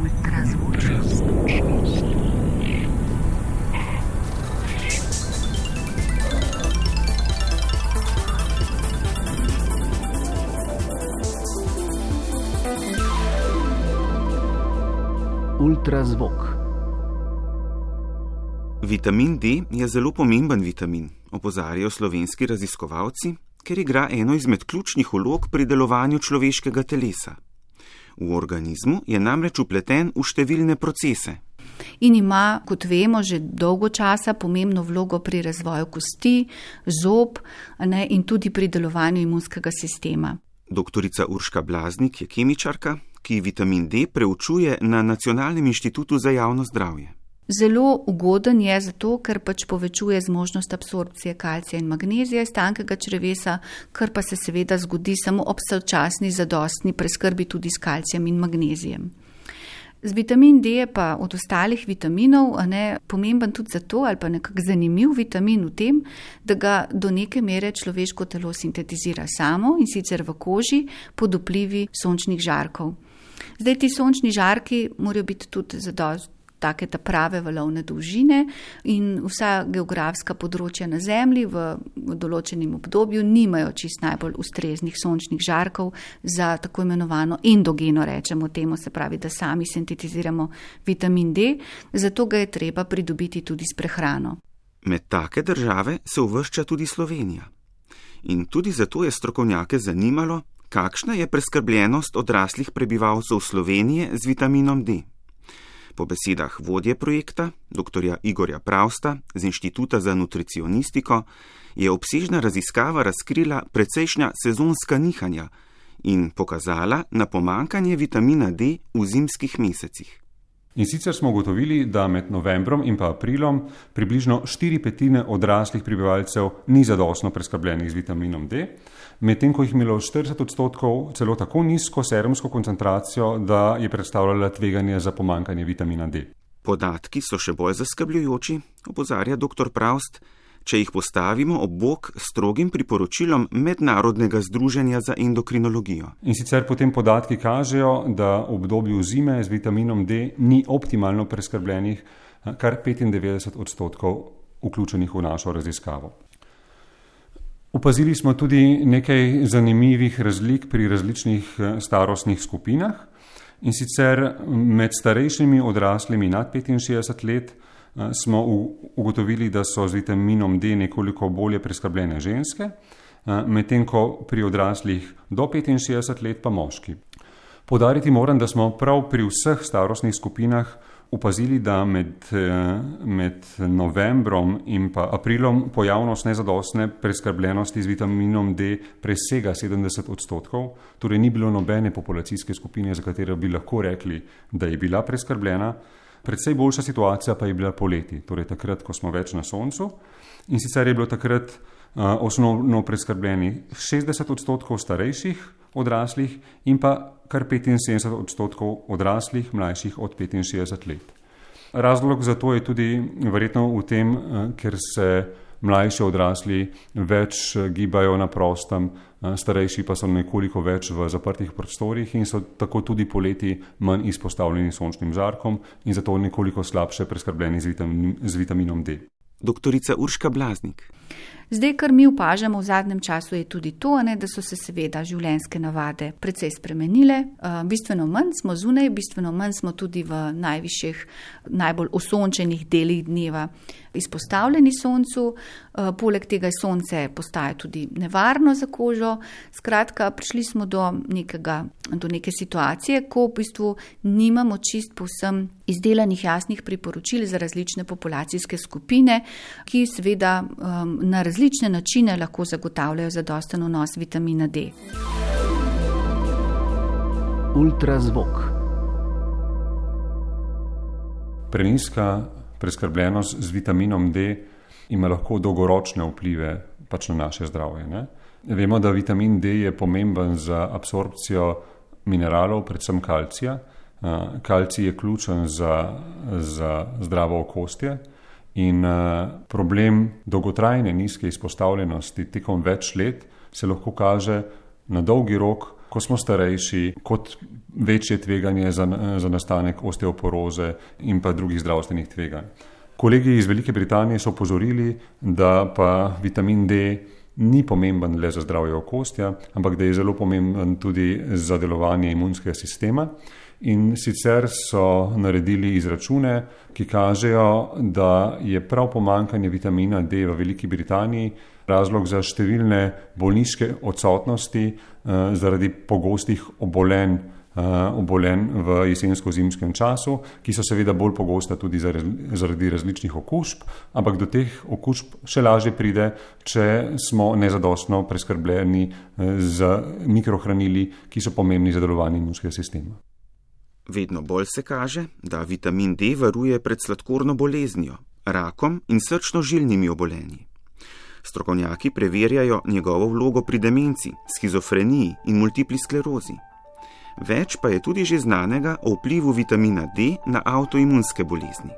Ultrazvočnost. Ultrazvok. Vitamin D je zelo pomemben vitamin, opozarjajo slovenski raziskovalci, ker igra eno izmed ključnih vlog pri delovanju človeškega telesa. V organizmu je namreč vpleten v številne procese. In ima, kot vemo, že dolgo časa pomembno vlogo pri razvoju kosti, zob, in tudi pri delovanju imunskega sistema. Doktorica Urška Blaznik je kemičarka, ki vitamin D preučuje na Nacionalnem inštitutu za javno zdravje. Zelo ugoden je zato, ker povečuje zmožnost absorpcije kalcija in magnezija iz tankega črevesa, kar pa se seveda zgodi samo ob sočasni zadostni preskrbi tudi s kalcijem in magnezijem. Z vitamin D je pa od ostalih vitaminov pomemben tudi zato, ali pa nekako zanimiv vitamin v tem, da ga do neke mere človeško telo sintetizira samo, in sicer v koži pod vplivi sončnih žarkov. Zdaj, ti sončni žarki morajo biti tudi zadosti take ta prave valovne dolžine in vsa geografska področja na Zemlji v določenem obdobju nimajo čist najbolj ustreznih sončnih žarkov za tako imenovano endogeno, rečemo temu, se pravi, da sami sintetiziramo vitamin D, zato ga je treba pridobiti tudi s prehrano. Med take države se uvršča tudi Slovenija. In tudi zato je strokovnjake zanimalo, kakšna je preskrbljenost odraslih prebivalcev Slovenije z vitaminom D. Po besedah vodje projekta, dr. Igorja Pravsta z Inštituta za nutricionistiko, je obsežna raziskava razkrila precejšnja sezonska nihanja in pokazala na pomanjkanje vitamina D v zimskih mesecih. In sicer smo ugotovili, da med novembrom in pa aprilom približno 4/5 odraslih prebivalcev ni zadostno preskrbljenih z vitaminom D, medtem ko jih imelo 40% celo tako nizko serumsko koncentracijo, da je predstavljala tveganje za pomanjkanje vitamina D. Podatki so še bolj zaskrbljujoči, opozarja dr. Pravst, če jih postavimo ob bok strogim priporočilom Mednarodnega združenja za endokrinologijo. In sicer potem podatki kažejo, da v obdobju zime z vitaminom D ni optimalno preskrbljenih kar 95% vključenih v našo raziskavo. Opazili smo tudi nekaj zanimivih razlik pri različnih starostnih skupinah, in sicer med starejšimi odraslimi nad 65 let smo ugotovili, da so z vitaminom D nekoliko bolje preskrbljene ženske, medtem ko pri odraslih do 65 let pa moški. Poudariti moram, da smo prav pri vseh starostnih skupinah opazili, da med novembrom in pa aprilom pojavnost nezadostne preskrbljenosti z vitaminom D presega 70%, torej ni bilo nobene populacijske skupine, za katero bi lahko rekli, da je bila preskrbljena. Predvsej boljša situacija pa je bila poleti, torej takrat, ko smo več na soncu, in sicer je bilo takrat osnovno preskrbljeni 60% starejših odraslih in pa kar 75% odraslih mlajših od 65 let. Razlog za to je tudi verjetno v tem, ker se mlajši odrasli več gibajo na prostem, starejši pa so nekoliko več v zaprtih prostorih in so tako tudi poleti manj izpostavljeni sončnim žarkom in zato nekoliko slabše preskrbljeni z vitaminom D. Doktorica Urška Blaznik. Zdaj, kar mi opažamo v zadnjem času, je tudi to, da so se seveda življenjske navade precej spremenile. Bistveno manj smo zunaj, bistveno manj smo tudi v najvišjih, najbolj osončenih delih dneva izpostavljeni soncu. Poleg tega sonce postaja tudi nevarno za kožo. Skratka, prišli smo do neke situacije, ko v bistvu nimamo čist povsem izdelanih jasnih priporočil za različne populacijske skupine, ki seveda na različne načine lahko zagotavljajo zadosten vnos vitamina D. Ultrazvok. Prenizka preskrbljenost z vitaminom D ima lahko dolgoročne vplive na naše zdravje. Ne? Vemo, da vitamin D je pomemben za absorpcijo mineralov, predvsem kalcija. Kalcij je ključen za zdravo okostje in problem dolgotrajne nizke izpostavljenosti tekom več let se lahko kaže na dolgi rok ko smo starejši, kot večje tveganje za nastanek osteoporoze in pa drugih zdravstvenih tveganj. Kolegi iz Velike Britanije so opozorili, da pa vitamin D ni pomemben le za zdravje okostja, ampak da je zelo pomemben tudi za delovanje imunskega sistema. In sicer so naredili izračune, ki kažejo, da je prav pomanjkanje vitamina D v Veliki Britaniji razlog za številne bolniške odsotnosti zaradi pogostih obolenj v jesensko-zimskem času, ki so seveda bolj pogosta tudi zaradi različnih okužb, ampak do teh okužb še lažje pride, če smo nezadostno preskrbljeni z mikrohranili, ki so pomembni za delovanje imunskega sistema. Vedno bolj se kaže, da vitamin D varuje pred sladkorno boleznijo, rakom in srčno-žilnimi obolenji. Strokovnjaki preverjajo njegovo vlogo pri demenci, shizofreniji in multipli sklerozi. Več pa je tudi že znanega o vplivu vitamina D na avtoimunske bolezni.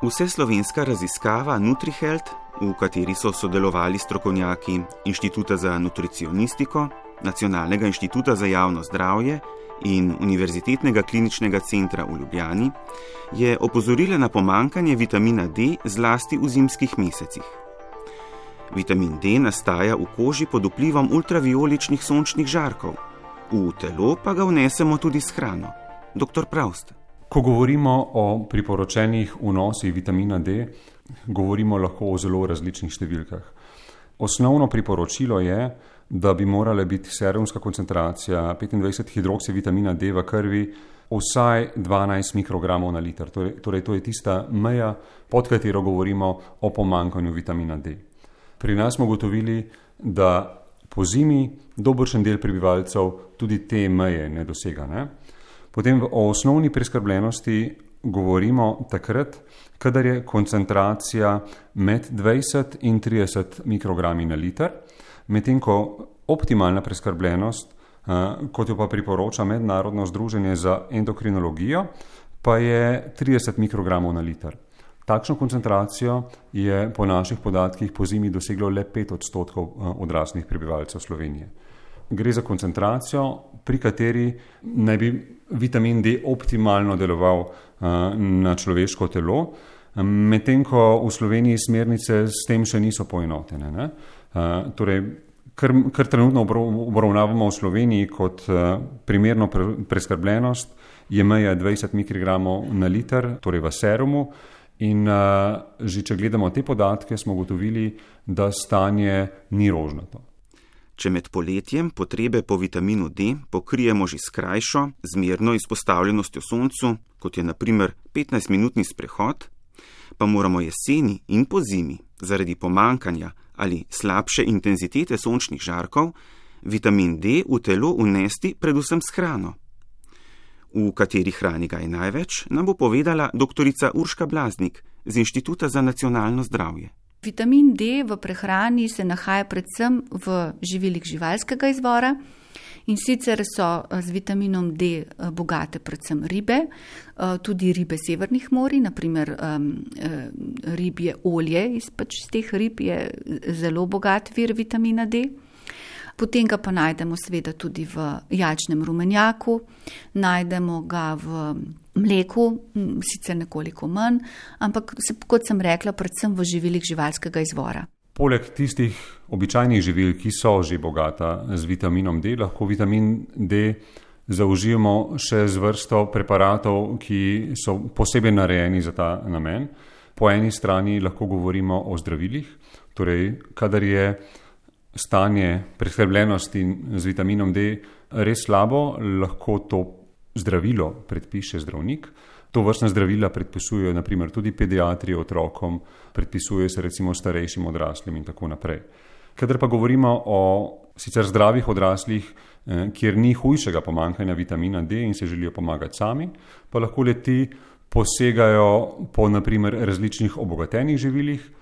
Vseslovenska raziskava NutriHealth, v kateri so sodelovali strokovnjaki Inštituta za nutricionistiko, Nacionalnega inštituta za javno zdravje in Univerzitetnega kliničnega centra v Ljubljani, je opozorila na pomanjkanje vitamina D zlasti v zimskih mesecih. Vitamin D nastaja v koži pod vplivom ultravioličnih sončnih žarkov, v telo pa ga vnesemo tudi s hrano. Dr. Pravst. Ko govorimo o priporočenih vnosih vitamina D, govorimo lahko o zelo različnih številkah. Osnovno priporočilo je, da bi morala biti serumska koncentracija 25 hidroksivitamina D v krvi vsaj 12 mikrogramov na liter. Torej, to je tista meja, pod katero govorimo o pomanjkanju vitamina D. Pri nas smo ugotovili, da po zimi dobršen del prebivalcev tudi te meje ne dosega. Potem o osnovni preskrbljenosti govorimo takrat, kadar je koncentracija med 20 in 30 mikrogrami na liter, medtem ko optimalna preskrbljenost, kot jo pa priporoča Mednarodno združenje za endokrinologijo, pa je 30 mikrogramov na liter. Takšno koncentracijo je po naših podatkih po zimi doseglo le 5% odraslih prebivalcev Slovenije. Gre za koncentracijo, pri kateri naj bi vitamin D optimalno deloval na človeško telo, medtem ko v Sloveniji smernice s tem še niso poenotene. Torej, kar trenutno obravnavamo v Sloveniji kot primerno preskrbljenost, je meja 20 mikrogramov na liter, torej v serumu, in že če gledamo te podatke, smo ugotovili, da stanje ni rožnato. Če med poletjem potrebe po vitaminu D pokrijemo že s krajšo, zmerno izpostavljenostjo soncu, kot je na primer 15-minutni sprehod, pa moramo jeseni in po zimi zaradi pomanjkanja ali slabše intenzitete sončnih žarkov vitamin D v telo vnesti predvsem s hrano. V kateri hrani ga je največ, nam bo povedala doktorica Urška Blaznik z Inštituta za nacionalno zdravje. Vitamin D v prehrani se nahaja predvsem v živilih živalskega izvora in sicer so z vitaminom D bogate predvsem ribe, tudi ribe severnih morij, naprimer ribje olje iz teh rib je zelo bogat vir vitamina D. Potem ga pa najdemo seveda tudi v jajčnem rumenjaku, najdemo ga v mleku, sicer nekoliko manj, ampak kot sem rekla, predvsem v živilih živalskega izvora. Poleg tistih običajnih živil, ki so že bogata z vitaminom D, lahko vitamin D zaužijemo še z vrsto preparatov, ki so posebej narejeni za ta namen. Po eni strani lahko govorimo o zdravilih, torej kadar je stanje preskrbljenosti z vitaminom D res slabo, lahko to zdravilo predpiše zdravnik. To vrstna zdravila predpisujejo naprimer tudi pediatri otrokom, predpisuje se recimo starejšim odraslim in tako naprej. Kadar pa govorimo o sicer zdravih odraslih, kjer ni hujšega pomanjkanja vitamina D in se želijo pomagati sami, pa lahko le-ti posegajo po naprimer različnih obogatenih živilih.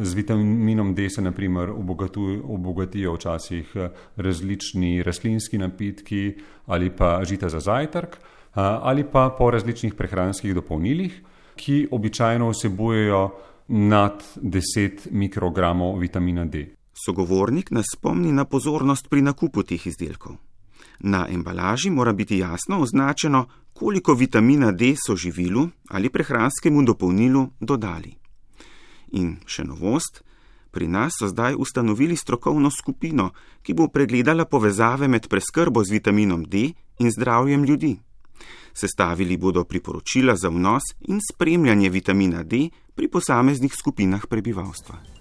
Z vitaminom D se naprimer obogatijo včasih različni rastlinski napitki ali pa žita za zajtrk ali pa po različnih prehranskih dopolnilih, ki običajno vsebujejo nad 10 mikrogramov vitamina D. Sogovornik nas spomni na pozornost pri nakupu teh izdelkov. Na embalaži mora biti jasno označeno, koliko vitamina D so živilu ali prehranskemu dopolnilu dodali. In še novost, pri nas so zdaj ustanovili strokovno skupino, ki bo pregledala povezave med preskrbo z vitaminom D in zdravjem ljudi. Sestavili bodo priporočila za vnos in spremljanje vitamina D pri posameznih skupinah prebivalstva.